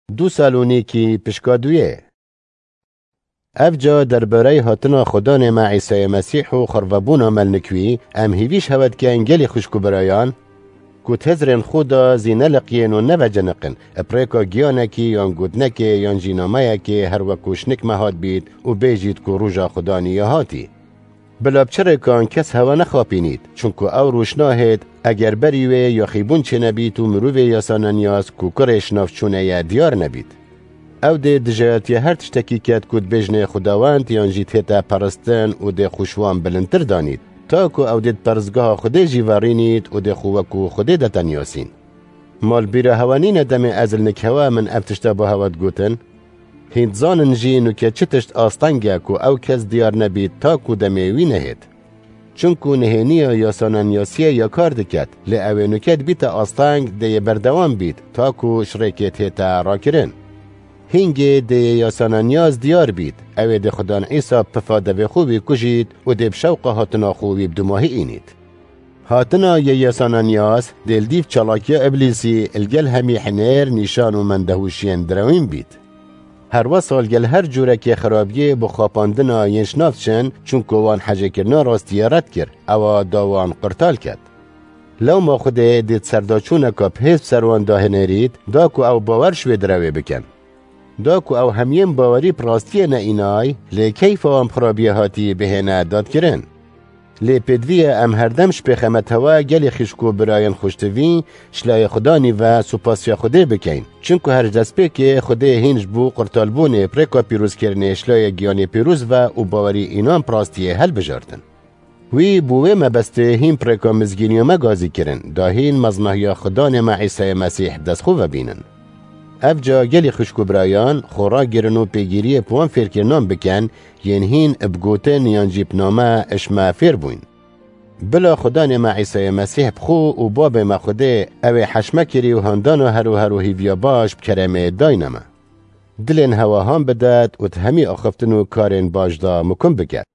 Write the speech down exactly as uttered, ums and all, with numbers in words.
Du Salonîkî pişka duyê. Evca derbarey hatina Xudanê me Îsayê Mesîh û xirvebûna me li nikwî, em hêvî ji hewe dikin gelî xwişk û birayan, ku di hizrên xwe de zî neliqiyên û neveciniqin, bi rêka giyanekî yan gotinekê yan jî nameyekê her wekû ji nik me hatbît û bêjît ku roja Xudanî ya hatî. Bila bi çi rêkan kes hewa nexapînît, çunku ew roj nahêt, eger berî wê yaxîbûn çênebît û mirovê yasaneniyaz ku kurê şinavçûne ye diyar nebît. Ew dê dijayetiya her tiştekî ket ku dibêjnê xwedawend yan jî tête peristin û dê xwe ji wan bilindtir danît, ta ku ew dê di peristgeha Xwedê jî verînît û dê xwe wekû Xwedê deteniyasîn. Ma li bîra hewe nîne demê ez li nik hewe min ev tişta bo hewe digotin? Hîn dizanin jî nuke çi tişt asteng e ku ew kes diyar nebît ta ku demê wî nehêt. Çunku nihêniya yasaneniyasiyê ya kar diket, lê ew ê nuke dibîte asteng dê yê berdewam bît ta ku ji rêkê tête rakirin. Hîngê dê yê yasaneniyaz diyar bît, ew ê dê Xudan Îsa pifa devê xwe wî kujît û dê bi şewqa hatina xwe wî bi dumahî înît. Hatina yê yasaneniyaz dê li dîv çalakiya Îblîsî li gel hemî hinêr, nîşan û mendehûşiyên direwîn bît. Herwesa li gel her cûrekê xirabiyê bo xapandina yên ji nav diçin, çunku wan hejêkirina rastiyê red kir, ewa da wan qurtal ket. Lewma Xwedê dê di serdaçûneka bi hêz bi ser wan de hinêrît, da ku ew bawer ji wê direwê bikin. Da ku ew hemiyên bawerî bi rastiyê ne înay, lê keyfa wan bi xirabiyê hatî bihêne dadkirin. Lê pêdivî ye em herdem ji pêxemet hewe gelê xîşk û birayên xweştivî, ji layê Xudanî ve supasiya Xwedê bikeyn. Çunku her ji destpêkê Xwedê hîn ji bo qurtalbûnê bi rêka pîrozkirinê ji layê giyanê pîroz ve û bawerî înan bi rastiyê helbijartin. Wî bo wê mebestê hîn bi rêka mizgîniya me gazî kirin, da hîn mezmehiya Xudanê me Îsayê Mesîh bi dest xwe ve bînin. Evca gelî xwişk û birayan, xwe ragirin û pêgîriyê bi wan fêrkirinan bikin, yên hîn bi gotin yan jî bi name ji me fêr bûyn. Bila Xudanê me Îsayê Mesîh bi xwe û Babê me Xwedê, ew ê heş me kirî û handana her û her û hîviya baş bi keremê dayne me. Dilên hewa han bidet û di hemî axiftin û karên baş de mikum biket.